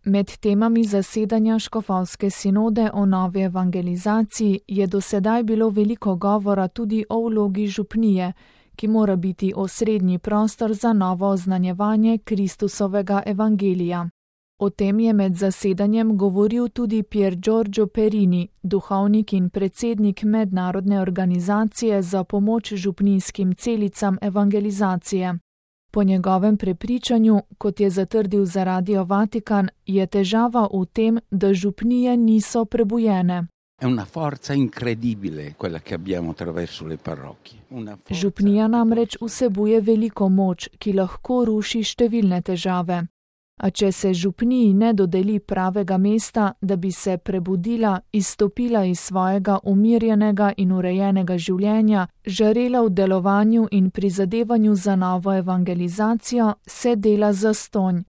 Med temami zasedanja škofovske sinode o novi evangelizaciji je dosedaj bilo veliko govora tudi o vlogi župnije, ki mora biti osrednji prostor za novo oznanjevanje Kristusovega evangelija. O tem je med zasedanjem govoril tudi Pier Giorgio Perini, duhovnik in predsednik mednarodne organizacije za pomoč župnijskim celicam evangelizacije. Po njegovem prepričanju, kot je zatrdil za Radio Vatikan, je težava v tem, da župnije niso prebujene. Župnija namreč vsebuje veliko moč, ki lahko ruši številne težave. A če se župniji ne dodeli pravega mesta, da bi se prebudila, izstopila iz svojega umirjenega in urejenega življenja, žarela v delovanju in prizadevanju za novo evangelizacijo, se dela zastonj.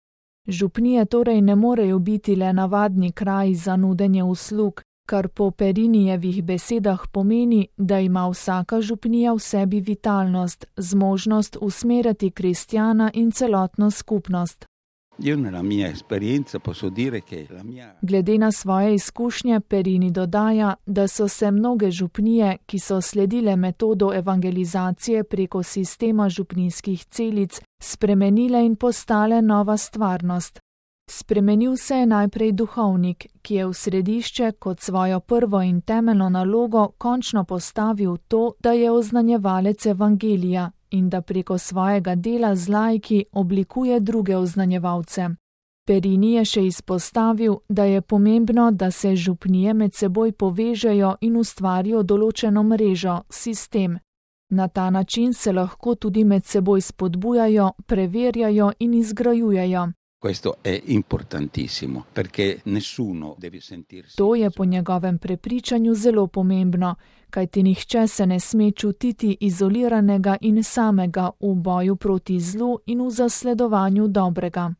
Župnije torej ne morejo biti le navadni kraji za nudenje uslug, kar po Perinijevih besedah pomeni, da ima vsaka župnija v sebi vitalnost, zmožnost usmerjati kristjana in celotno skupnost. Glede na svoje izkušnje Perini dodaja, da so se mnoge župnije, ki so sledile metodo evangelizacije preko sistema župnijskih celic, spremenile in postale nova stvarnost. Spremenil se je najprej duhovnik, ki je v središče kot svojo prvo in temeljno nalogo končno postavil to, da je oznanjevalec evangelija in da preko svojega dela z laiki oblikuje druge oznanjevalce. Perini je še izpostavil, da je pomembno, da se župnije med seboj povežejo in ustvarijo določeno mrežo, sistem. Na ta način se lahko tudi med seboj spodbujajo, preverjajo in izgrajujejo. To je po njegovem prepričanju zelo pomembno, kajti nihče se ne sme čutiti izoliranega in samega v boju proti zlu in v zasledovanju dobrega.